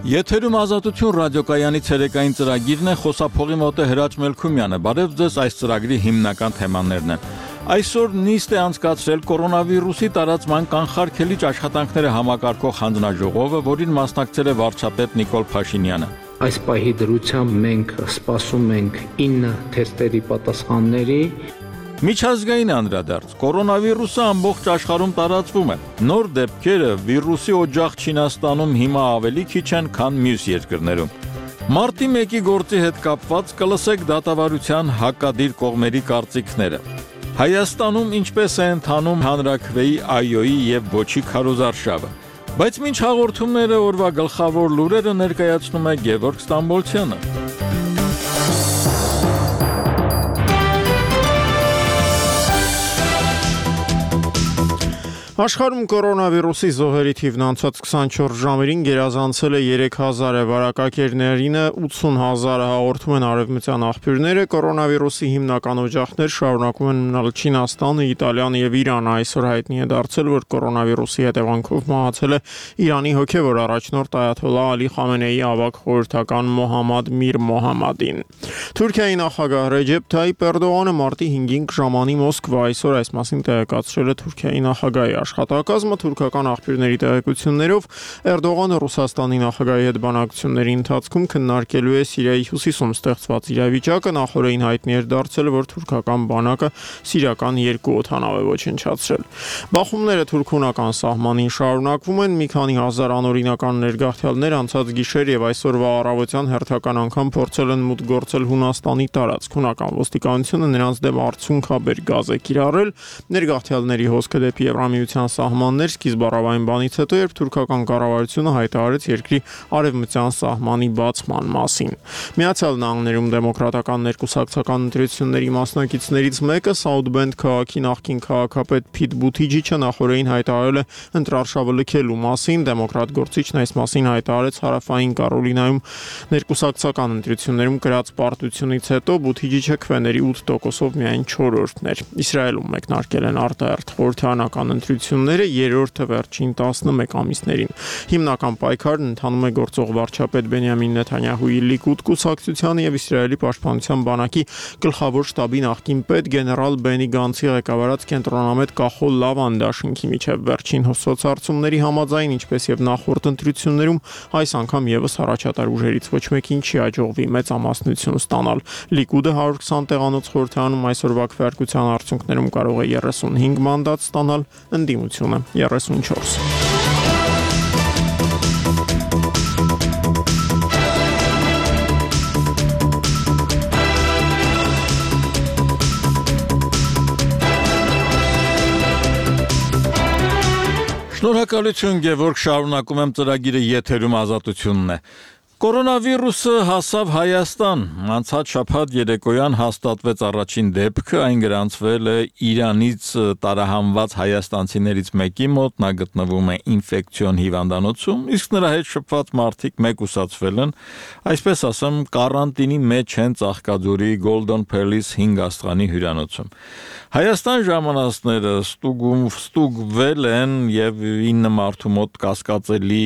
Եթերում ազատություն ռադիոկայանի ցերեկային ծրագիրն է, խոսափողի մոտ է Հրաչ Մելքումյանը։ Բարև ձեզ, այս ծրագրի հիմնական թեմաներն են։ Այսօր նիստ է անցկացրել կորոնավիրուսի տարածման կանխարգելիչ աշխատանքները համակարգող հանձնաժողովը, որին մասնակցել է վարչապետ Նիկոլ Փաշինյանը։ Այս պահի դրությամբ մենք սպասում ենք 9 թեստերի պատասխանների։ Միջազգային անդրադարձ, կորոնավիրուսը ամբողջ աշխարհում տարածվում է։ Նոր դեպքերը վիրուսի օջախ Չինաստանում հիմա ավելի քիչ են, քան մյուս երկրներում։ Մարտի 1-ի գործի հետ կապված կլսեք դատավարության հակադիր կողմերի կարծիքները։ Հայաստանում ինչպես է ընթանում հանրաքվեի ԱՅՈ-ի եւ ոչի քարոզարշավը։ Բայց մինչ հաղորդումները օրվա գլխավոր լուրերը ներկայացնում է Գևորգ Ստամբոլցյանը։ Աշխարհում կորոնավիրուսի զոհերի թիվն անցած 24 ժամերին գերազանցել է 3000-ը, վարակակիրներինը 80,000-ը, հաղորդում են արևմտյան աղբյուրները։ Կորոնավիրուսի հիմնական օջախներ շարունակում են մնալ Չինաստանը, Իտալիան եւ Իրանը։ Այսօր հայտնի է դարձել, որ կորոնավիրուսի հետևանքով մահացել է Իրանի հոգեվոր առաջնորդ Այաթոլլահ Ալի Խամենեիի ավագ խորհրդական Մոհամմադ Միր Մոհամմադին։ Թուրքիայի նախագահ Ռեջեփ Թայիփ Էրդողանը մարտի 5-ին կժամանի Մոսկվա, այսօր այս մասին տեղեկացրել է Թուրքիայի նախագահի աշխատակազմը։ Թուրքական աղբյուրների տեղեկություններով Էրդողանը Ռուսաստանի նախագահի հետ բանակցությունների ընթացքում քննարկելու է Սիրիայի հյուսիսում ստեղծված իրավիճակը։ Նախորդին հայտնի էր դարձել, որ թուրքական բանակը սիրիական 2 օդանավ է ոչնչացրել։ Բախումները թուրք-հունական սահմանին շարունակվում են։ Մի քանի հազար անօրինական ներգաղթյալներ անցած գիշեր եւ այսօրվա առավոտյան հերթական անգամ փորձել են մուտք գործել Հունաստանի տարածք։ Հունական ոստիկանությունը նրանց դեմ արդյունքաբեր գազ է կիրառել։ Ներգաղթյալների հոսքը դեպի Եվրամիության սահմաններ սկիզբ առավային բանից հետո, երբ թուրքական կառավարությունը հայտարարեց երկրի արևմտյան սահմանի բացման մասին։ Միացյալ Նահանգներում դեմոկրատական ներկուսակցական ընտրությունների մասնակիցներից մեկը South Bend քաղաքի նախկին քաղաքապետ Փիթ Բութիջիչը նախորդին հայտարարել է ընտրարշավը լքելու մասին։ Դեմոկրատ գործիչն այս մասին հայտարարեց Հարավային Կարոլինայում ներկուսակցական ընտրություններում կրած պարտությունից հետո։ Բութիջիչը քվեների 8%-ով միայն 4-րդն էր։ Իսրայելում մեկնարկել են արտահերթ խորհրդարանական ընտրությունները երրորդը վերջին 11 ամիսներին։ Հիմնական պայքարն ընթանում է գործող վարչապետ Բենյամին Նեթանյահուի Լիկուդ կուսակցությանը եւ Իսրայելի պաշտպանության բանակի գլխավոր շտաբի նախկին պետ գեներալ Բենի Գանցի ղեկավարած կենտրոնամետ Կախոլ Լավան դաշինքի միջև վերջին սոցհարցումների համաձայն, ինչպես եւ նախորդ ընտրություններում, այս անգամ եւս առաջատար ուժերից ոչ մեկին չի հաջողվի մեծամասնություն ստանալ։ Լիկուդը 120 տեղանոց խորհրդարանում այսօրվա քվեարկության արդյունքներում կարող է 35 մանդատ ստանալ, ընդդիմությունը 34։ Շնորհակալություն Գևորգ, շարունակում եմ ծրագիրը, եթերում ազատությունն է։ Կորոնավիրուսը հասավ Հայաստան։ Անցած շաբաթ երեկոյան հաստատվեց առաջին դեպքը, այն գրանցվել է Իրանից տարահանված հայաստանցիներից մեկի մոտ, նա գտնվում է ինֆեկցիոն հիվանդանոցում, իսկ նրա հետ շփված մարդիկ մեկուսացվել են, այսպես ասեմ, կարանտինի մեջ են Ծաղկաձորի Golden Palace 5 աստղանի հյուրանոցում։ Հայաստան ժամանածները ստուգվել են եւ 9 մարդու մոտ կասկածելի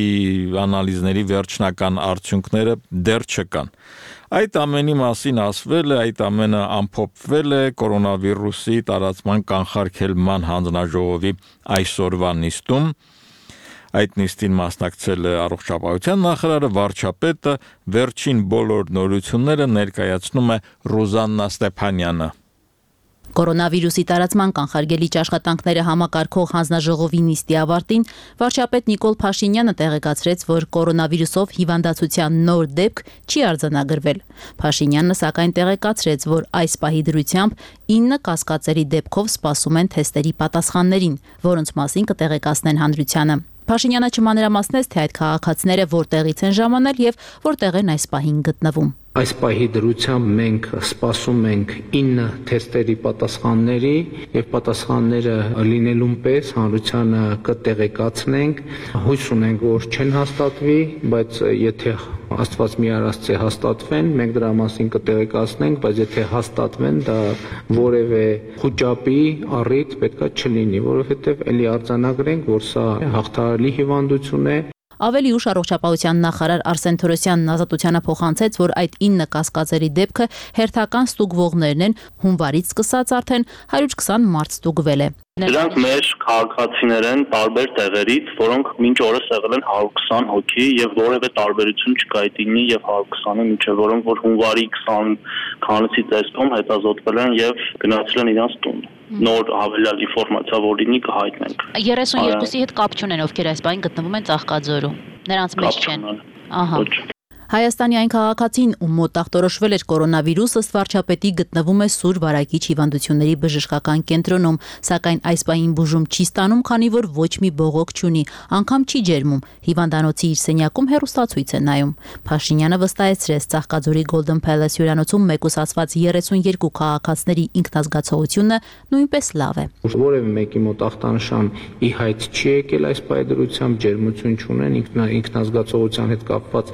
անալիզների վերջնական արդյունքները դեռ չկան։ Այդ ամենի մասին ասվել է, այդ ամենը ամփոփվել է կորոնավիրուսի տարածման կանխարգելման հանձնաժողովի այսօրվա նիստում։ Այդ նիստին մասնակցել է առողջապահության նախարարը, վարչապետը, վերջին բոլոր նորությունները ներկայացնում է Ռոզաննա Ստեփանյանը։ Կորոնավիրուսի տարածման կանխարգելիչ աշխատանքները համակարգող հանձնաժողովի նիստի ավարտին վարչապետ Նիկոլ Փաշինյանը տեղեկացրեց, որ կորոնավիրուսով հիվանդացության նոր դեպք չի արձանագրվել։ Փաշինյանը սակայն տեղեկացրեց, որ այս պահի դրությամբ 9 կասկածելի դեպքով սպասում են թեստերի պատասխաններին, որոնց մասին կտեղեկացնեն հանրությանը։ Փաշինյանը չմանրամասնեց, թե այդ քաղաքացիները որտեղից են ժամանել եւ որտեղ են այս պահին գտնվում։ Այս պահի դրությամբ մենք սպասում ենք 9 թեստերի պատասխանների եւ պատասխանները լինելուն պես հանրությանը կտեղեկացնենք։ Հույս ունենք, որ չեն հաստատվի, բայց եթե Աստված մի արածի հաստատվեն, մենք դրա մասին կտեղեկացնենք, բայց եթե հաստատվեն, դա որևէ խոճապի առիթ պետքա չլինի, որովհետեւ ելի արձանագրենք, որ սա հաղթահարելի հիվանդություն է։ Ավելի ուշ առողջապահության նախարար Արսեն Թորոսյանն Ազատությանը փոխանցեց, որ այդ 9 կասկածերի դեպքը հերթական ստուգվողներն են, հունվարից սկսած արդեն 120 մարդ ստուգվել է։ Դրանք մեր քաղաքացիներ են տարբեր տեղերից, որոնք մինչ օրս եղել են 120 հոգի եւ որևէ տարբերություն չկա այդ 9-ի եւ 120-ի միջեւ, որոնք որ հունվարի 20-ի տեսքում հետազոտվել են եւ գնացել են իրենց տուն։ Նոր հավելյալ ինֆորմացիա որ լինի կհայտնենք։ 32-ի հետ կապ չունեն, ովքեր այս բանին գտնվում են Ծաղկաձորում։ Նրանց մեջ չեն։ Ահա։ Հայաստանի այն քաղաքացին, ում մոտ ախտորոշվել էր կորոնավիրուս, ըստ վարչապետի գտնվում է Սուր Վարակիչ հիվանդությունների բժշկական կենտրոնում, սակայն այս պահին բուժում չի ստանում, քանի որ ոչ մի բողոք չունի, անգամ չի ջերմում։ Հիվանդանոցի իր սենյակում հեռուստացույց է նայում։ Փաշինյանը վստահեցրեց, Ծաղկաձորի Golden Palace հյուրանոցում մեկուսացված 32 քաղաքացիների ինքնազգացողությունը նույնպես լավ է։ Որևէ մեկի մոտ ախտանշան ի հայտ չի եկել այս պայդրությամբ, ջերմություն չունեն, ինքնազգացողության հետ կապված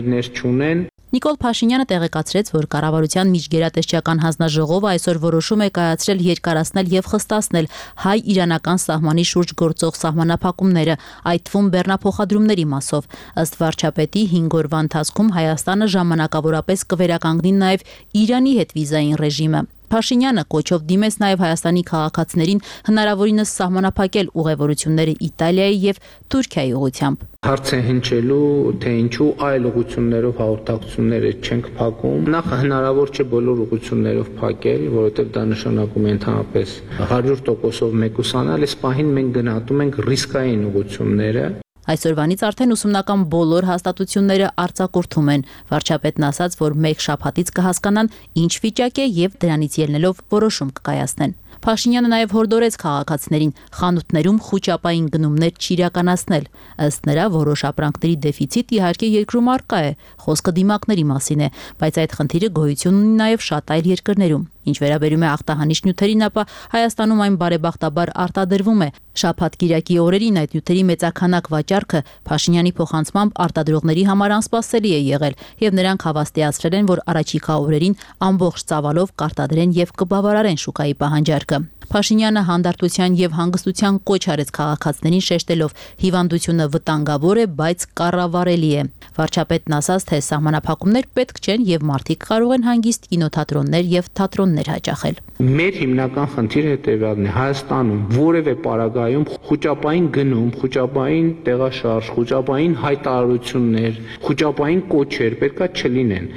խնդիրներ չունեն։ Նիկոլ Փաշինյանը տեղեկացրեց, որ կառավարության միջգերատեսչական հանձնաժողովը այսօր որոշում է կայացրել երկարացնել եւ խստացնել հայ-իրանական սահմանի շուրջ գործող սահմանափակումները, այդ թվում բեռնափոխադրումների մասով։ Ըստ վարչապետի 5 օրվա ընթացքում Հայաստանը ժամանակավորապես կվերականգնի նաեւ Իրանի հետ վիզային ռեժիմը։ Փաշինյանը կոչով դիմեց նաև Հայաստանի քաղաքացիներին հնարավորինս սահմանափակել ուղևորությունները Իտալիայի եւ Թուրքիայի ուղղությամբ։ Հարց է հնչելու, թե ինչու այլ ուղղություններով հաղորդակցությունները չենք փակում։ Նախ հնարավոր չէ բոլոր ուղղություններով փակել, որովհետև դա նշանակում է ընդհանրապես 100%-ով մեկուսանալ, այս պահին մենք գնահատում ենք ռիսկային ուղղությունները։ Այսօրվանից արդեն ուսումնական բոլոր հաստատությունները արձակուրդում են։ Վարչապետն ասաց, որ մեկ շաբաթից կհասկանան ինչ վիճակ է եւ դրանից ելնելով որոշում կկայացնեն։ Փաշինյանը նաև հորդորեց քաղաքացիներին խանութներում խուճապային գնումներ չիրականացնել։ Ըստ նրա, որոշ ապրանքների դեֆիցիտ իհարկե երկրում առկա է, խոսքը դիմակների մասին է, բայց այդ խնդիրը գոյություն ունի նաև շատ այլ երկրներում։ Ինչ վերաբերում է ախտահանիչ նյութերին, ապա Հայաստանում այն բարեբախտաբար արտադրվում է։ Շաբաթ-կիրակի օրերին այդ նյութերի մեծաքանակ վաճառքը Փաշինյանի փոխանցմամբ արտադրողների համար անսպասելի է եղել, եւ նրանք հավաստիացրել են, որ առաջիկա օրերին ամբողջ ծավալով կարտադրեն եւ կբավարարեն շուկայի պահանջարկը։ Փաշինյանը հանդարտության եւ հանգստության կոչ արեց քաղաքացիներին, շեշտելով հիվանդությունը վտանգավոր է, բայց կառավարելի է։ Վարչապետն ասաց, թե սահմանափակումներ պետք չեն եւ մարդիկ կարող են հանգիստ կինոթատրոններ եւ թատրոններ հաճախել։ Մեր հիմնական խնդիրը հետեւյալն է. Հայաստանում որևէ պարագայում խուճապային գնում, խուճապային տեղաշարժ, խուճապային հայտարարություններ, խուճապային կոչեր պետքա չլինեն։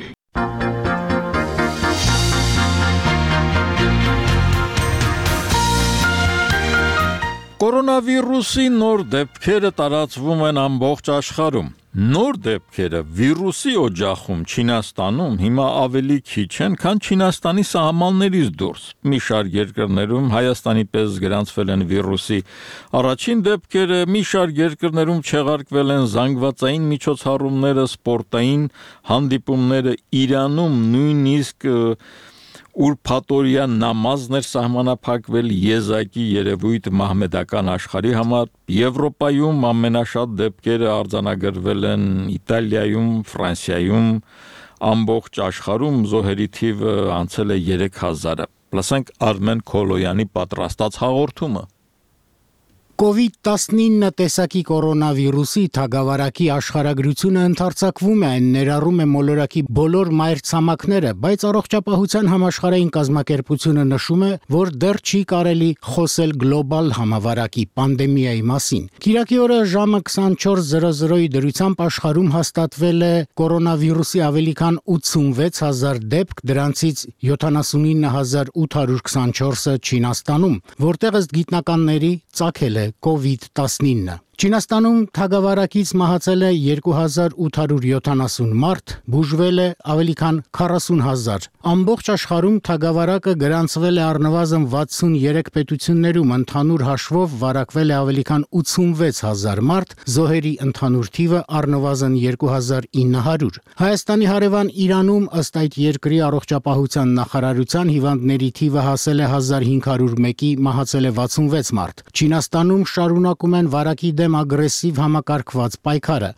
Կորոնավիրուսի նոր դեպքերը տարածվում են ամբողջ աշխարհում։ Նոր դեպքերը վիրուսի օջախում Չինաստանում հիմա ավելի քիչ են, քան Չինաստանի սահմաններից դուրս։ Մի շարք երկրներում Հայաստանի պես գրանցվել են վիրուսի առաջին դեպքերը, մի շարք երկրներում չեղարկվել են զանգվածային միջոցառումները, սպորտային հանդիպումները, Իրանում նույնիսկ ուրփաթորյան նամազներ սահմանափակվել եզակի երևույթ մահմեդական աշխարհի համար։ Եվրոպայում ամենաշատ դեպքերը արձանագրվել են Իտալիայում, Ֆրանսիայում, ամբողջ աշխարհում զոհերի թիվը անցել է 3000-ը։ Լսենք Արմեն Քոլոյանի պատրաստած հաղորդումը։ COVID-19 տեսակի կորոնավիրուսի թագավարակի աշխարհագրությունը ընդարձակվում է, այն ներառում է մոլորակի բոլոր մայրցամաքները, բայց առողջապահության համաշխարհային կազմակերպությունը նշում է, որ դեռ չի կարելի խոսել գլոբալ համավարակի պանդեմիայի մասին։ Կիրակի օրը ժամը 24:00-ի դրությամբ աշխարհում հաստատվել է կորոնավիրուսի ավելի քան 86000 դեպք, դրանցից 79824-ը Չինաստանում, որտեղ ըստ գիտնականների ծագել է COVID-19։ Չինաստանում թագավարակից մահացել է 2870 մարդ, բուժվել է ավելի քան 40000։ Ամբողջ աշխարհում թագավարակը գրանցվել է առնվազն 63 պետություններում, ընդհանուր հաշվով վարակվել է ավելի քան 86000 մարդ, զոհերի ընդհանուր թիվը առնվազն 2900։ Հայաստանի հարևան Իրանում ըստ այդ երկրի առողջապահության նախարարության հիվանդների թիվը հասել է 1501-ի, մահացել է 66 մարդ։ Չինաստանում շարունակում են վարակի դեմ ագրեսիվ համակարգված պայքարը։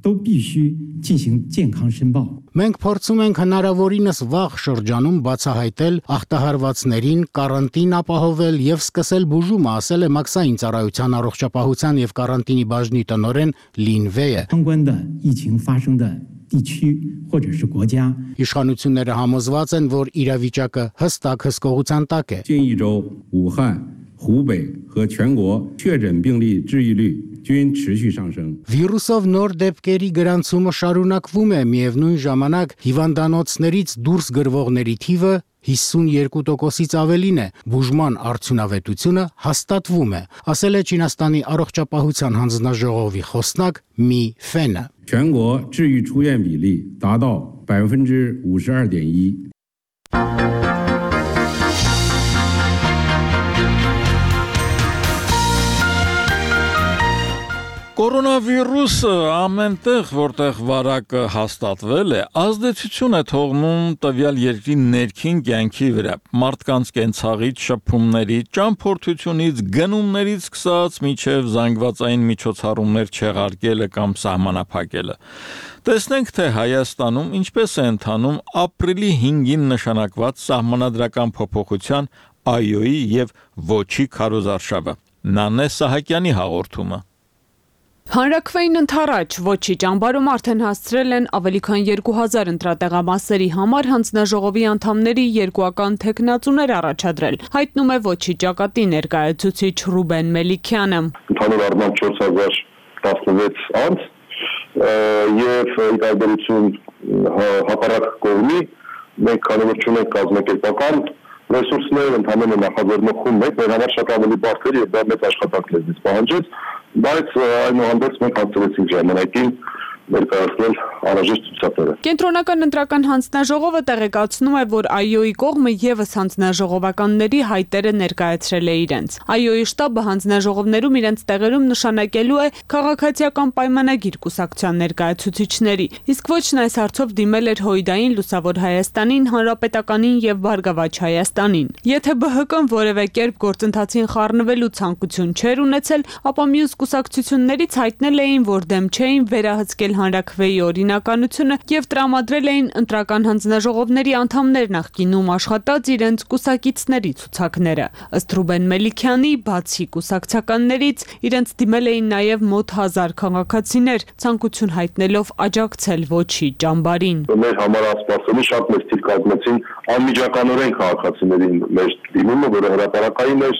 都必须进行健康申报。 Մենք փորձում ենք հնարավորինս վաղ շրջանում բացահայտել ախտահարվածներին, կարանտին ապահովել եւ սկսել բուժումը, ասել է Մաքսային ծառայության առողջապահության եւ կարանտինի բաժնի տնօրեն Լին Վեյը։ 相关的疫情发生的地区或者是国家， Իշխանությունները համոզված են, որ իրավիճակը հստակ հսկողության տակ է։ 近一周，武汉、湖北和全国确诊病例治愈率均持续上升。 Վիրուսով նոր դեպքերի գրանցումը շարունակվում է, միևնույն ժամանակ հիվանդանոցներից դուրս գրվողների թիվը 52%-ից ավելին է, բուժման արդյունավետությունը հաստատվում է, ասել է Չինաստանի առողջապահության հանձնաժողովի խոսնակ Մի Ֆենը։ 全国治愈出院比例达到52.1%。 Կորոնավիրուսը ամենտեղ, որտեղ վարակը հաստատվել է, ազդեցություն է թողնում տվյալ երկրի ներքին կյանքի վրա։ Մարդկանց կենցաղից, շփումներից, ճամփորդությունից, գնումներից սկսած մինչև զանգվածային միջոցառումներ չեղարկելը կամ սահմանափակելը։ Տեսնենք, թե Հայաստանում ինչպես է ընթանում ապրիլի 5-ին նշանակված սահմանադրական փոփոխության այոյի եւ ոչի քարոզարշավը։ Նանե Սահակյանի հաղորդումը։ Հանրաքվեին ընթառաջ ոչի ճամբարում արդեն հասցրել են ավելի քան 2000 ընտրատեղամասերի համար հանձնաժողովի անդամների երկուական թեկնածուներ առաջադրել, հայտնում է ոչի ճակատի ներկայացուցիչ Ռուբեն Մելիքյանը։ Ընդհանուր առմամբ 4016 անձ եւ ի տարբերություն հակառակ կողմի մենք քանի որ չունենք կազմակերպական ռեսուրսներ, ընդհանրապես նախաձեռնող խումբ մեկ, մեր համար շատ ավելի բարդ էր եւ դա մեծ աշխատանք լեզվից պահանջեց, բայց այնուհանդերձ մենք հասցրեցինք ժամանակին ներկայացնել անհրաժեշտ ցուցակները։ Կենտրոնական ընտրական հանձնաժողովը տեղեկացնում է, որ այոյի կողմը եւս հանձնաժողովականների հայտերը ներկայացրել է իրենց։ Այոյի շտաբը հանձնաժողովներում իրենց տեղերում նշանակելու է քաղաքացիական պայմանագիր կուսակցության ներկայացուցիչների, իսկ ոչն այս հարցով դիմել էր Հույդային, Լուսավոր Հայաստանին, Հանրապետականին եւ Բարգավաճ Հայաստանին։ Եթե ԲՀԿ-ն որևէ կերպ գործընթացին խառնվելու ցանկություն չէր ունեցել, ապա մյուս կուսակցություններից հայտնել էին, որ դեմ չէին վերահսկել հանրաքվեի օրինականությունը եւ տրամադրել էին ընտրական հանձնաժողովների անդամներ նախկինում աշխատած իրենց կուսակիցների ցուցակները։ Ըստ Ռուբեն Մելիքյանի, բացի կուսակցականներից իրենց դիմել էին նաեւ մոտ 1000 քաղաքացիներ, ցանկություն հայտնելով աջակցել ոչի ճամբարին։ Մեր համար ասպասելի շատ մեծ թիվ կազմեցին անմիջականորեն քաղաքացիներին մեր դիմումը, որը հրապարակային էր,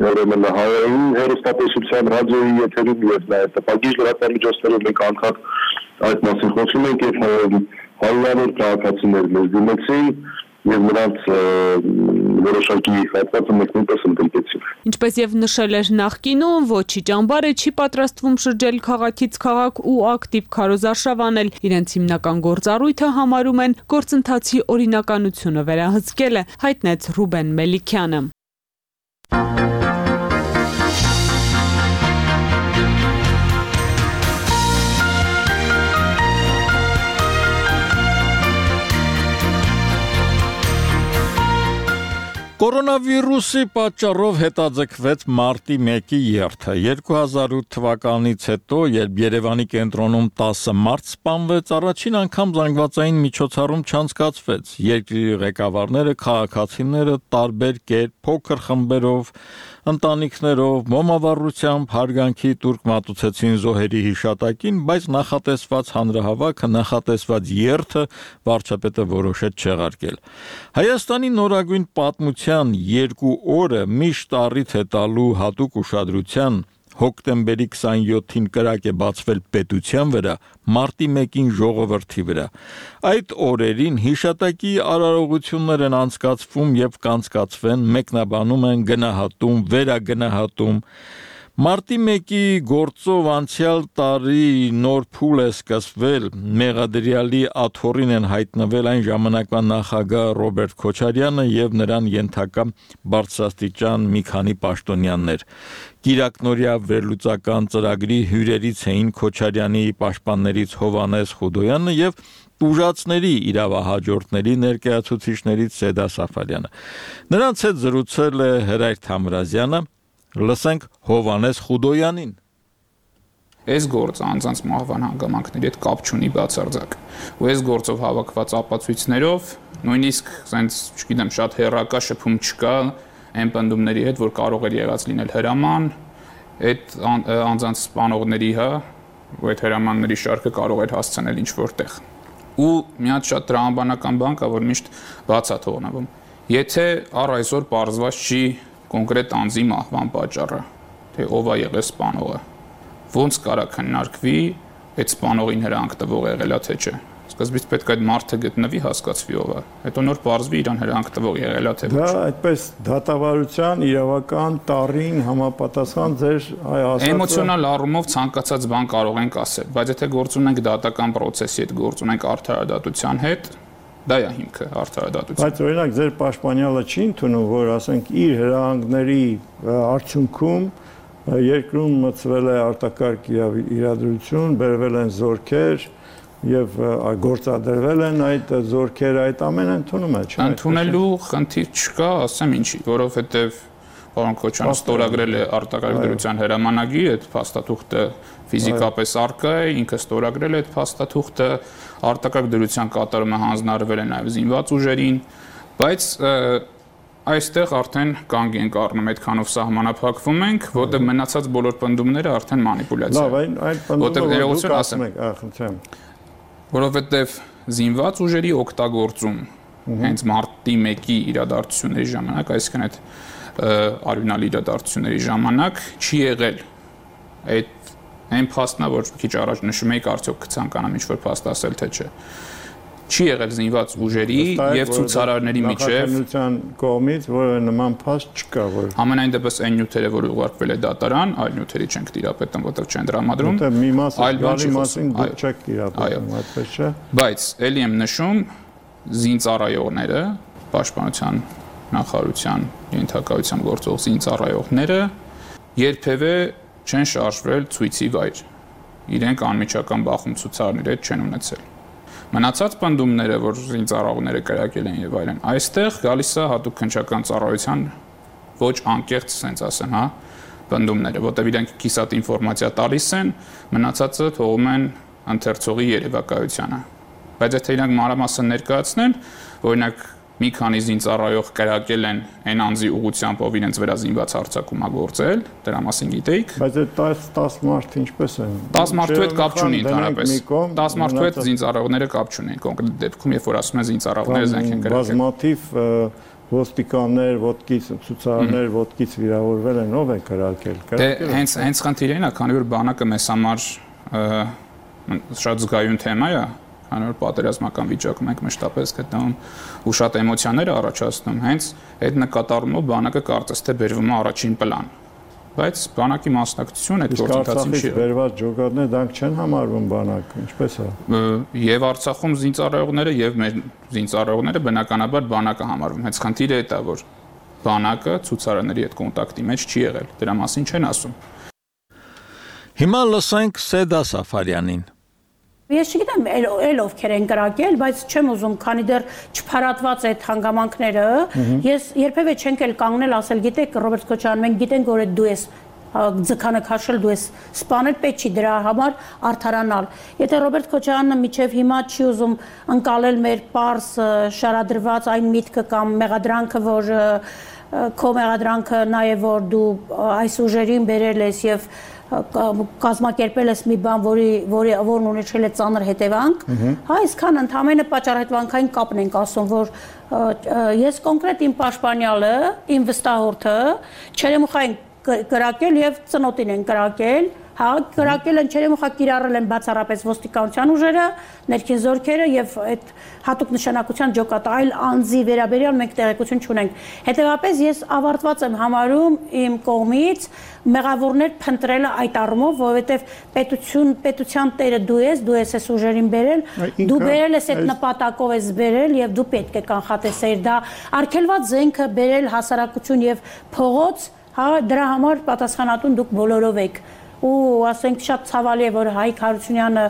ուրեմն հայերեն հեռուստատեսության, ռադիոյի եթերում եւ նաեւ տպագիր լրատվամիջոցներով մենք անդադ այդ մասին խոսում ենք եւ հարյուրավոր քաղաքացիներ մեզ դիմեցին եւ նրանց որոշակի հատվածը մենք նույնպես ընդգրկեցինք։ Ինչպես եւ նշել էր նախկինում, ոչի ճամբարը չի պատրաստվում շրջել քաղաքից քաղաք ու ակտիվ քարոզարշավ անել։ Իրենց հիմնական գործառույթը համարում են գործընթացի օրինականությունը վերահսկելը, հայտնեց Ռուբեն Մելիքյանը։ Կորոնավիրուսի պատճառով հետաձգվեց մարտի 1-ի երթը։ 2008 թվականից հետո, երբ Երևանի կենտրոնում 10 մարդ սպանվեց, առաջին անգամ զանգվածային միջոցառում չանցկացվեց։ Երկրի ղեկավարները, քաղաքացիները տարբեր կերպ, փոքր խմբերով, ընտանիքներով, մոմավառությամբ հարգանքի տուրք մատուցեցին զոհերի հիշատակին, բայց նախատեսված հանրահավաքը, նախատեսված երթը վարչապետը որոշեց չեղարկել։ Հայաստանի նորագույն պատմության 2 օրը միշտ առիթ է տալու հատուկ ուշադրության հոկտեմբերի 27-ին կրակ է բացվել պետության վրա, մարտի 1-ին ժողովրդի վրա։ Այդ օրերին հիշատակի արարողություններ են անցկացվում եւ կանցկացվեն, մեկնաբանում են, գնահատում, վերագնահատում։ Մարտի 1-ի գործով անցյալ տարի նոր փուլ է սկսվել, մեղադրյալի աթոռին են հայտնվել այն ժամանակվա նախագահ Ռոբերտ Քոչարյանը եւ նրան ենթակա բարձրաստիճան մի քանի պաշտոնյաներ։ Կիրակնորյա վերլուծական ծրագրի հյուրերից էին Քոչարյանի պաշտպաններից Հովհաննես Խուդոյանը եւ ուժածների իրավահաջորդների ներկայացուցիչներից Սեդա Սաֆարյանը։ Նրանց հետ զրուցել է Հրայր Թամրազյանը, լսենք Հովհաննես Խուդոյանին։ այս գործը անձանց մահվան հանգամանքների հետ կապ չունի բացարձակ։ Ու այս գործով հավաքված ապացույցներով նույնիսկ sense, չգիտեմ, շատ հերրակա շփում չկա այն պնդումների հետ, որ կարող էր եղած լինել հրաման, այդ անձանց սպանողների, ու այդ հրամանների շարքը կարող էր հասցնել ինչ-որ տեղ։ Ու մի հատ շատ տրամաբանական բան կա, որ միշտ բաց է թողնվում։ Եթե առ այսօր պարզված չի կոնկրետ անձի մահվան պատճառը, թե ով է եղել սպանողը, ոնց կարա քննարկվի այդ սպանողին հրանք տվող եղելա թե չէ։ Սկզբից պետք է այդ մարդը գտնվի, հասկացվի ով է։ Հետո նոր պարզվի իրան հրանք տվող եղելա թե ոչ։ Դա այդպես դատավարության իրավական տարին համապատասխան ձեր այ ասածը էմոցիոնալ առումով ցանկացած բան կարող ենք ասել, բայց եթե գործ ունենք դատական process-ի հետ, գործ ունենք արդարադատության հետ, դա է հիմքը արդարադատության։ Բայց օրինակ ձեր պաշտպանյալը չի ընդունում, որ ասենք իր հրահանգների արդյունքում երկրում մտցվել է արտակարգ իրադրություն, բերվել են զորքեր եւ գործադրվել են այդ զորքերը, այդ ամենը ընդունում է, չէ՞։ Ընդունելու խնդիր չկա, ասեմ ինչի, որովհետեւ պարոն Քոչյանը ստորագրել է արտակարգ դրության հրամանագիր, այդ փաստաթուղթը ֆիզիկապես առկա է, ինքը ստորագրել է այդ փաստաթուղթը, արտակարգ դրության կատարումը հանձնարարվել է նաեւ զինված ուժերին, բայց այստեղ արդեն կանգ ենք առնում, այդքանով սահմանափակվում ենք, որտեղ մնացած բոլոր պնդումները արդեն մանիպուլյացիա են։ Լավ, այն պնդումները դուք ասում եք, խնդրեմ։ Որովհետև զինված ուժերի օգտագործում հենց մարտի 1-ի իրադարձությունների ժամանակ, այսինքն այդ արյունալի իրադարձությունների ժամանակ չի եղել այդ այն փաստն, որ քիչ առաջ նշում էիք, արդյոք կցանկանամ ինչ-որ փաստ ասել թե չէ։ Չի եղել զինված ուժերի եւ ցուցարարների միջև նախաձեռնության կողմից որևէ նման փաստ չկա, որ ամենայն դեպս այն նյութերը, որ ուղարկվել է դատարան, այլ նյութերի չենք տիրապետում, որտեղ չեն դրամադրում, մի մասի դուք չեք տիրապետում, այդպես չէ։ Բայց ելի եմ նշում, զինծառայողները, պաշտպանության նախարարության ենթակայությամբ գործող զինծառայողները երբևէ չեն շարժվել ցույցի վայր։ Իրենք անմիջական բախում ցուցարարների հետ չեն ունեցել։ Մնացած պնդումները, որ զինծառայողները կրակել են եւ այլն, այստեղ գալիս է հատուկ քննչական ծառայության ոչ անկեղծ, ասենց ասեմ, պնդումները, որտեղ իրենք կիսատ ինֆորմացիա տալիս են, մնացածը թողում են ընթերցողի երևակայությանը։ Բայց եթե իրանք մանրամասն ներկայացնեն, օրինակ մի քանի զինծառայող կրակել են այն անձի ուղղությամբ, ով իրենց վրա զինված հարձակում է գործել, դրա մասին գիտեիք։ Բայց այդ 10 մարդ ինչպես են։ 10 մարդու հետ կապ չունի ընդհանրապես։ 10 մարդու հետ զինծառայողները կապ չունեն կոնկրետ դեպքում, երբ որ ասում են զինծառայողները զենք են կրակել։ Բազմաթիվ ոստիկաններ, ոտքից ցուցարարներ, ոտքից վիրավորվել են, ով է կրակել։ Դե հենց խնդիրն է, քանի որ բանակը մեզ համար շատ զգայուն թեմա է, քանի որ պատերազմական վիճակում ենք մշտապես գտնվում ու շատ էմոցիաներ առաջացնում, հենց այդ նկատառումով բանակը կարծես թե բերվում է առաջին պլան։ Բայց բանակի մասնակցությունը այդ գործընթացին չի։ Բերված ջոկատները դրանք չեն համարվում բանակ, ինչպես է։ Եվ Արցախում զինծառայողները եւ մեր զինծառայողները բնականաբար բանակը համարվում։ Հենց խնդիրը այդ է, որ բանակը ցուցարարների հետ կոնտակտի մեջ չի եղել։ Դրա մասին չեն ասում։ Հիմա լսենք Սեդա Սաֆարյանին։ Ես չգիտեմ էլ ովքեր են կրակել, բայց չեմ ուզում, քանի դեռ չփարատված այդ հանգամանքները, ես երբևէ չենք էլ կանգնել ասել, գիտեք, Ռոբերտ Քոչարյան, մենք գիտենք, որ դու ես ձգանը քաշել, դու ես սպանել, պետք չի դրա համար արդարանալ։ Եթե Ռոբերտ Քոչարյանը միջև հիմա չի ուզում ընկալել մեր պարզ շարադրված այն միտքը կամ մեղադրանքը, որ քո մեղադրանքը նա է, որ դու այս ուժերին բերել ես եւ կազմակերպել ես մի բան, որն ունեցել է ծանր հետևանք, այսքան ընդհանրապես պատճառահետևանքային կապն ենք ասում, որ ես կոնկրետ իմ պաշտպանյալը, իմ վստահորդը Չերեմուխա են կրակել եւ ծնոտին են կրակել, կրակել են Չերեմուխա կիրառել են բացառապես ոստիկանության ուժերը, ներքին զորքերը եւ այդ հատուկ նշանակության ջոկատը այլ անձի վերաբերյալ մենք տեղեկություն չունենք։ Հետևաբար ես ավարտված եմ համարում իմ կողմից մեղավորներ փնտրելը այդ առումով, որովհետեւ պետության տերը դու ես այս ուժերին բերել, դու բերել ես այդ նպատակով ես բերել եւ դու պետք է կանխատեսեիր դա արգելված զենքը բերել հասարակություն եւ փողոց, դրա համար պատասխանատուն դուք բոլորով եք։ Ու ասենք շատ ցավալի է, որ Հայկ Հարությունյանը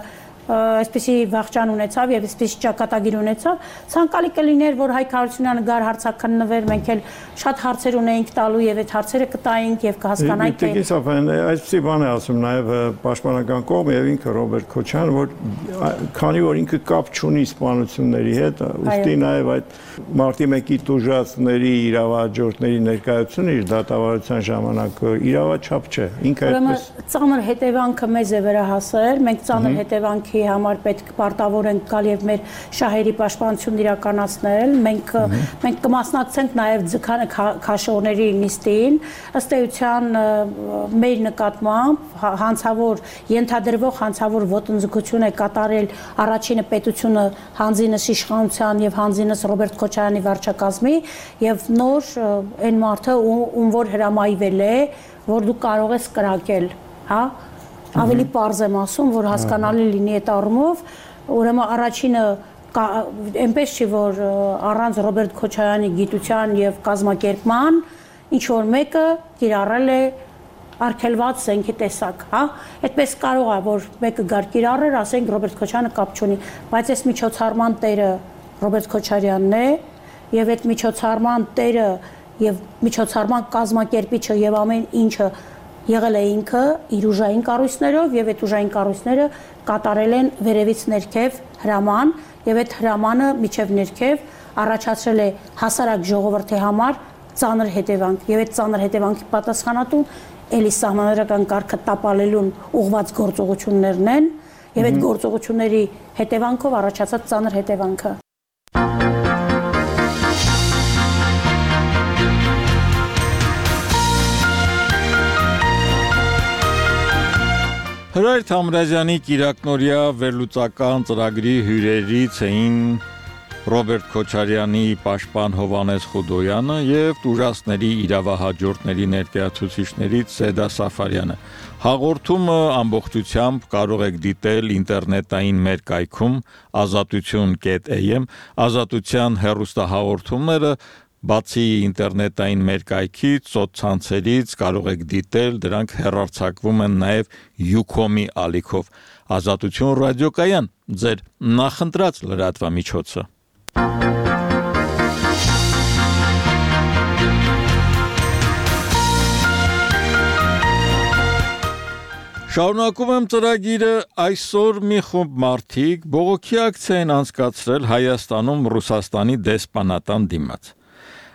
այսպեսի վախճան ունեցավ եւ այսպեսի ճակատագիր ունեցավ, ցանկալի կլիներ, որ Հայկ Հարությունյանը գար հարցաքննվեր, մենք էլ շատ հարցեր ունեինք տալու եւ այդ հարցերը կտայինք եւ կհասկանայինք թե Տիկին Սաֆյան, այսպեսի բան է ասում նաեւ պաշտպանական կողմը եւ ինքը Ռոբերտ Քոչյանը, որ քանի որ ինքը կապ չունի սպանությունների հետ, ուստի նաեւ այդ մարտի 1-ի տուժածների իրավահաջորդների ներկայությունը իր դատավարության ժամանակ իրավաչափ չէ։ Ինքը այդպես ծանր հետևանքը մեզ է վերահասել, մենք ծանր հետևանքի համար պետք պարտավոր ենք գալ եւ մեր շահերի պաշտպանությունն իրականացնել, մենք կմասնակցենք նաեւ ձգանը քաշողների նիստին, ըստ էության մեր նկատմամբ հանցավոր ենթադրվող հանցավոր ոտնձգություն է կատարել առաջինը պետությունը հանձինս իշխանության եւ հանձինս Ռոբերտ Քոչարյանի վարչակազմի եւ նոր այն մարդը ում որ հրամայվել է, որ դու կարող ես կրակել, հա, ավելի պարզ եմ ասում, որ հասկանալի լինի այդ առումով, ուրեմն առաջինը այնպես չի, որ առանց Ռոբերտ Քոչարյանի գիտության եւ կազմակերպման ինչ որ մեկը կիրառել է արգելված զենքի տեսակ, հա, այդպես կարող է, որ մեկը գար կիրառեր, ասենք Ռոբերտ Քոչարյանը կապ չունի, բայց այս միջոցառման տերը Ռոբերտ Քոչարյանն է եւ այդ միջոցառման տերը եւ միջոցառման կազմակերպիչը եւ ամեն ինչը եղել է ինքը իր ուժային կառույցներով եւ այդ ուժային կառույցները կատարել են վերևից ներքև հրաման եւ այդ հրամանը միջև ներքև առաջացրել է հասարակ ժողովրդի համար ծանր հետևանք եւ այդ ծանր հետևանքի պատասխանատուն էլի սահմանադրական կարգը տապալելուն ուղղված գործողություններն են եւ այդ գործողությունների հետևանքով առաջացած ծանր հետևանքը Հրայր Թամրազյանի Կիրակնորյա վերլուծական ծրագրի հյուրերից էին Ռոբերտ Քոչարյանի պաշտպան Հովհաննես Խուդոյանը եւ տուժածների իրավահաջորդների ներկայացուցիչներից Սեդա Սաֆարյանը։ Հաղորդումը ամբողջությամբ կարող եք դիտել ինտերնետային մեր կայքում azatutun.am, Ազատության հեռուստահաղորդումները Բացի ինտերնետային մեր կայքից, սոցցանցերից կարող եք դիտել, դրանք հեռարձակվում են նաև Ucom-ի ալիքով։ Ազատություն ռադիոկայան, ձեր նախընտրած լրատվամիջոցը։ Շարունակում եմ ծրագիրը այսօր մի խումբ մարդիկ բողոքի ակցիա են անցկացրել Հայաստանում Ռուսաստանի դեսպանատան դիմաց։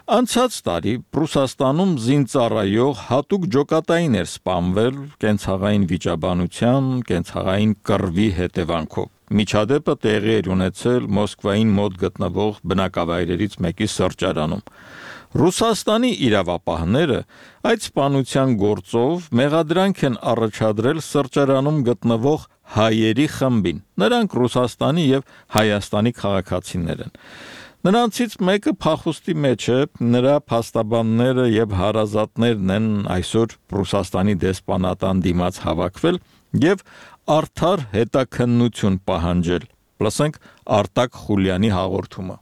Անցած տարի Ռուսաստանում զինծառայող հատուկ ջոկատային էր սպանվել կենցաղային վիճաբանության, կենցաղային կռվի հետևանքով։ Միջադեպը տեղի էր ունեցել Մոսկվային մոտ գտնվող բնակավայրերից մեկի սրճարանում։ Ռուսաստանի իրավապահները այդ սպանության գործով մեղադրանք են առաջադրել սրճարանում գտնվող հայերի խմբին։ Նրանք Ռուսաստանի եւ Հայաստանի քաղաքացիներ են։ Նրանցից մեկը փախուստի մեջ է, նրա փաստաբանները եւ հարազատներն են այսօր Ռուսաստանի դեսպանատան դիմաց հավաքվել եւ արդար հետաքննություն պահանջել։ Լսենք Արտակ Խուլյանի հաղորդումը։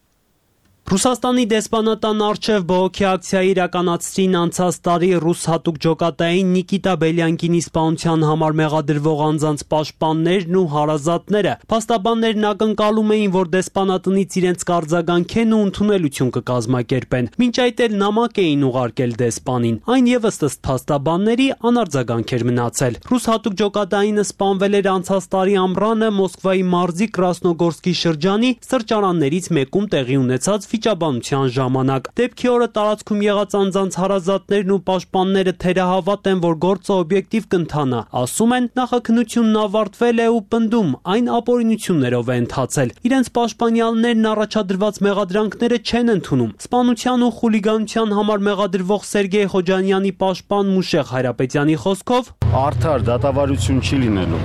Ռուսաստանի դեսպանատան առջև բողոքի ակցիա իրականացրին անցած տարի ռուս հատուկ ջոկատային Նիկիտա Բելյանկինի սպանության համար մեղադրվող անձանց պաշտպաններն ու հարազատները։ Փաստաբաններն ակնկալում էին, որ դեսպանատնից իրենց կարձագանքեն ու ընդունելություն կկազմակերպեն։ Մինչ այդ էլ նամակ էին ուղարկել դեսպանին։ Այն եւս ըստ փաստաբանների անարձագանք էր մնացել։ Ռուս հատուկ ջոկատայինը սպանվել էր անցած տարի ամռանը Մոսկվայի մարզի Կրասնոգորսկի շրջանի սրճարաններից մեկում տեղի ունեցած վիճաբանության ժամանակ։ Դեպքի օրը տարածքում եղած անձանց հարազատներն ու պաշտպանները թերահավատ են, որ գործը օբյեկտիվ կընթանա։ Ասում են, նախաքննությունն ավարտվել է ու պնդում, այն ապօրինություններով է ընթացել։ Իրենց պաշտպանյալներն առաջադրված մեղադրանքները չեն ընդունում։ Սպանության ու խուլիգանության համար մեղադրվող Սերգեյ Խոջանյանի պաշտպան Մուշեղ Հայրապետյանի խոսքով արդար դատավարություն չի լինելու։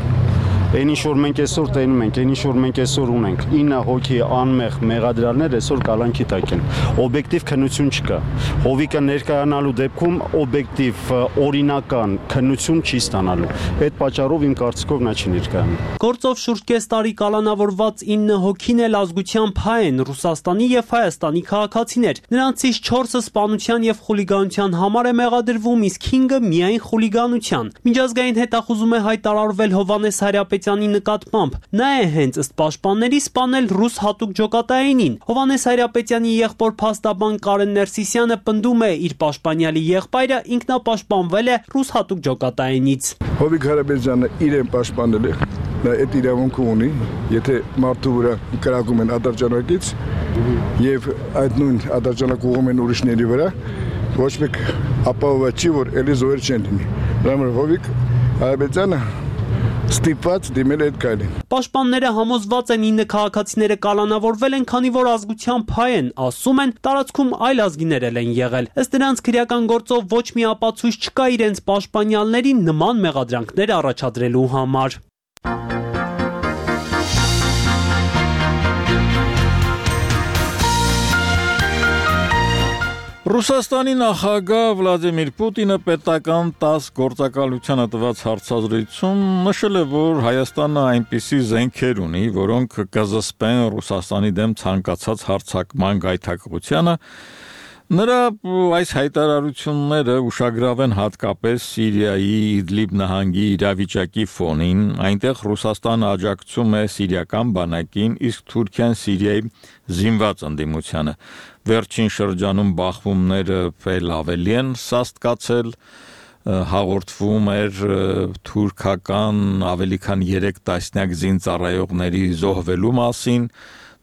Այն ինչ որ մենք այսօր տենում ենք, այն ինչ որ մենք այսօր ունենք, 9 հոգի անմեղ մեղադրյալներ այսօր կալանքի տակ են։ Օբյեկտիվ քննություն չկա։ Հովիկը ներկայանալու դեպքում օբյեկտիվ օրինական քննություն չի ստանալու։ Այդ պատճառով իմ կարծիքով նա չի ներկայանում։ Գործով շուրջ կես տարի կալանավորված 9 հոգին էլ ազգությամբ հայ են, Ռուսաստանի եւ Հայաստանի քաղաքացիներ։ Նրանցից 4-ը սպանության եւ խուլիգանության համար է մեղադրվում, իսկ 5-ը միայն խուլիգանության։ Միջազգային հետախուզում է հայտարարվել Հովհաննես Հայրապետյանի նկատմամբ։ Նա է հենց ըստ պաշտպանների սպանել ռուս հատուկ ջոկատայինին։ Հովհաննես Հայրապետյանի եղբոր փաստաբան Կարեն Ներսիսյանը պնդում է, իր պաշտպանյալի եղբայրը ինքնապաշտպանվել է ռուս հատուկ ջոկատայինից։ Հովիկ Հարաբերյանը իրեն պաշտպանել է, նա այդ իրավունքը ունի, եթե մարդու վրա կրակում են ադրջանակից եւ այդ նույն ադրջանակ ուղում են ուրիշների վրա, ոչ մեկ ապահոված չի, որ էլի զոհեր չեն լինի։ Դրա համար Հովիկ Հարաբերյանը ստիպված դիմել այդ կայլին։ Պաշտպանները համոզված են 9 քաղաքացիները կալանավորվել են, քանի որ ազգությամբ հայ են, ասում են, տարածքում այլ ազգիներ են եղել։ Ըստ նրանց քրեական գործով ոչ մի ապացույց չկա իրենց պաշտպանյալներին նման մեղադրանքներ առաջադրելու համար։ Ռուսաստանի նախագահ Վլադիմիր Պուտինը պետական 10 գործակալությանը տված հարցազրույցում նշել է, որ Հայաստանը այնպիսի զենքեր ունի, որոնք կզսպեն Ռուսաստանի դեմ ցանկացած հարձակման գայթակղությանը։ Նրա այս հայտարարությունները ուշագրավ են հատկապես Սիրիայի Իդլիբ նահանգի իրավիճակի ֆոնին, այնտեղ Ռուսաստանը աջակցում է սիրիական բանակին, իսկ Թուրքիան Սիրիայի զինված ընդդիմությանը։ Վերջին շրջանում բախումները veel ավելի են սաստկացել, հաղորդվում էր թուրքական ավելի քան 3 տասնյակ զինծառայողների զոհվելու մասին,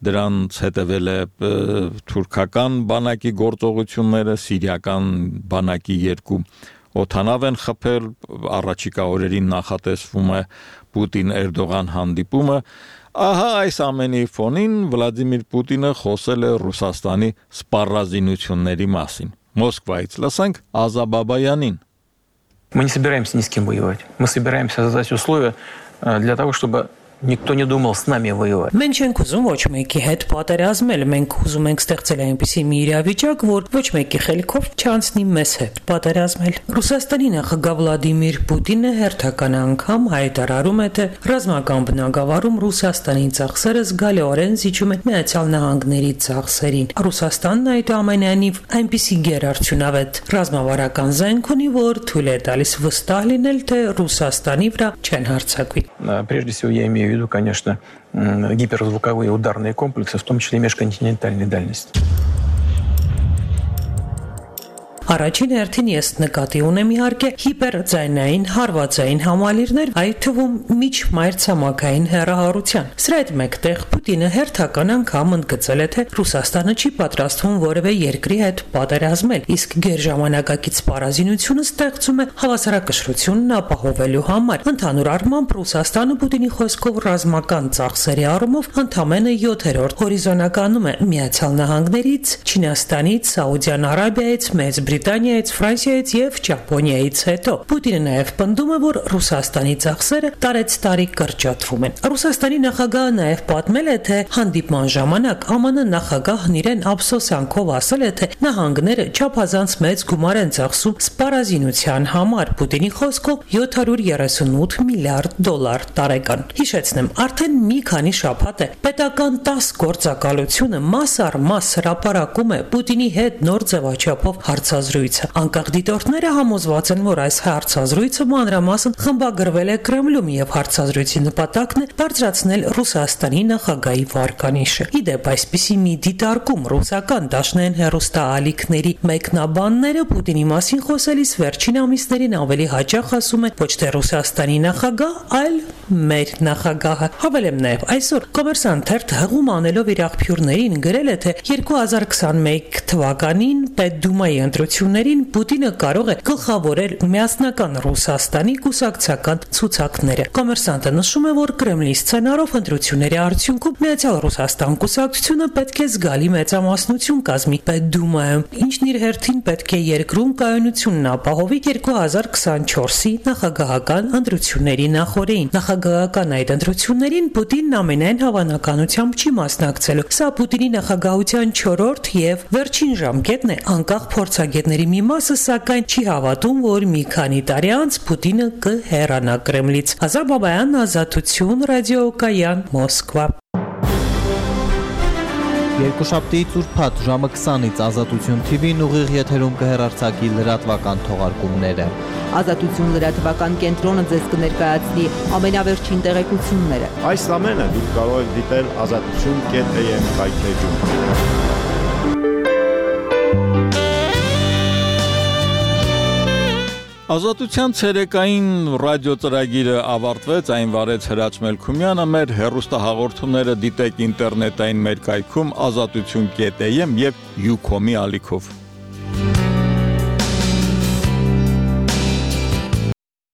դրանց հետևել է թուրքական բանակի գործողությունները, սիրիական բանակի 2 օդանավ են խփել, առաջիկա օրերին նախատեսվում է Պուտին-Էրդողան հանդիպումը։ Ահա այս ամենի ֆոնին Վլադիմիր Պուտինը խոսել է Ռուսաստանի սպառազինությունների մասին։ Մոսկվայից լսենք Ազա Բաբայանին։ Мы не собираемся ни с кем воевать. Мы собираемся создать условия для того, чтобы никто не думал с нами воевать. Մենք չենք ուզում ոչ մեկի հետ պատերազմել, մենք ուզում ենք ստեղծել այնպիսի մի իրավիճակ, որ ոչ մեկի խելքով չանցնի մեզ հետ պատերազմել։ Ռուսաստանի նախագահ Վլադիմիր Պուտինը հերթական անգամ հայտարարում է, թե ռազմական բնագավառում Ռուսաստանի ծախսերը զգալիորեն զիջում են Միացյալ Նահանգների ծախսերին։ Ռուսաստանն այդուամենայնիվ այնպիսի գերարդյունավետ ռազմավարական զենք ունի, որ թույլ է տալիս վստահ լինել, թե Ռուսաստանի վրա չեն հարձակվի։ Прежде всего я имею в виду, конечно, гиперзвуковые ударные комплексы, в том числе межконтинентальной дальности. Առաջին հերթին ես նկատի ունեմ իհարկե հիպերձայնային հարվածային համալիրներ, այդ թվում միջմայրցամաքային հեռահարության։ Սրա հետ մեկտեղ Պուտինը հերթական անգամ ընդգծել է, թե Ռուսաստանը չի պատրաստվում որևէ երկրի հետ պատերազմել, իսկ գերժամանակակից սպառազինությունը ստեղծում է հավասարակշռությունն ապահովելու համար։ Ընդհանուր առմամբ Ռուսաստանը Պուտինի խոսքով ռազմական ծախսերի առումով ընդամենը 7-րդ հորիզոնականում է Միացյալ Նահանգներից, Չինաստանից, Սաուդյան Արաբիայից, Մեծ Բրիտանիայից, Ֆրանսիայից եւ Ճապոնիայից հետո։ Պուտինը նաեւ պնդում է, որ Ռուսաստանի ծախսերը տարեցտարի կրճատվում են։ Ռուսաստանի նախագահը նաեւ պատմել է, թե հանդիպման ժամանակ ԱՄՆ նախագահն իրեն ափսոսանքով ասել է, թե նահանգները չափազանց մեծ գումար են ծախսում սպառազինության համար։ Պուտինի խոսքով 738 միլիարդ դոլար տարեկան։ Հիշեցնեմ, արդեն մի քանի շաբաթ է պետական 10 գործակալությունը մաս առ մաս հրապարակում է Պուտինի հետ նոր ձևաչափով հարցազրույցը։ Անկախ դիտորդները համոզված են, որ այս հարցազրույցը մանրամասն խմբագրվել է Կրեմլում եւ հարցազրույցի նպատակն է բարձրացնել Ռուսաստանի նախագահի վարկանիշը։ Իդեպ այսպիսի մի դիտարկում ռուսական դաշնային հեռուստաալիքների մեկնաբանները Պուտինի մասին խոսելիս վերջին ամիսներին ավելի հաճախ ասում են ոչ թե Ռուսաստանի նախագահ, այլ մեր նախագահը։ Հավելեմ նաեւ այսօր Կոմերսանտ թերթը հղում անելով իր աղբյուրներին գրել է, թե 2021 թվականին Պետդումայի ընտրություններին Պուտինը կարող է գլխավորել միասնական Ռուսաստանի կուսակցական ցուցակները։ Կոմերսանտը նշում է, որ Կրեմլի սցենարով ընտրությունների արդյունքում Միացյալ Ռուսաստան կուսակցությունը պետք է զգալի մեծամասնություն կազմի Պետդումայում, ինչն իր հերթին պետք է երկրում կայունությունն ապահովի 2024-ի նախագահական ընտրությունների նախօրեին։ Նախագահական այդ ընտրություններին Պուտինն ամենայն հավանականությամբ չի մասնակցելու։ Սա Պուտինի նախագահության 4-րդ եւ վերջին ժամկետն է, անկախ փորձագետների մի մասը սակայն չի հավատում, որ մի քանի տարի անց Պուտինը կհեռանա Կրեմլից։ Ազա Բաբայան, Ազատություն, ռադիոկայան, Մոսկվա։ Երկուշաբթի ծուրփաթ ժամը 20-ից Ազատություն TV-ն ուղիղ եթերում կհեռարձակի լրատվական թողարկումները։ Ազատություն լրատվական կենտրոնը ձեզ կներկայացնի ամենավերջին տեղեկությունները։ Այս ամենը դուք կարող եք դիտել azatutun.am կայքեջում։ Ազատության ցերեկային ռադիո ծրագիրը ավարտվեց, այն վարեց Հրաչ Մելքումյանը, մեր հեռուստահաղորդումները դիտեք ինտերնետային մեր կայքում azatutun.am եւ Ucom-ի ալիքով։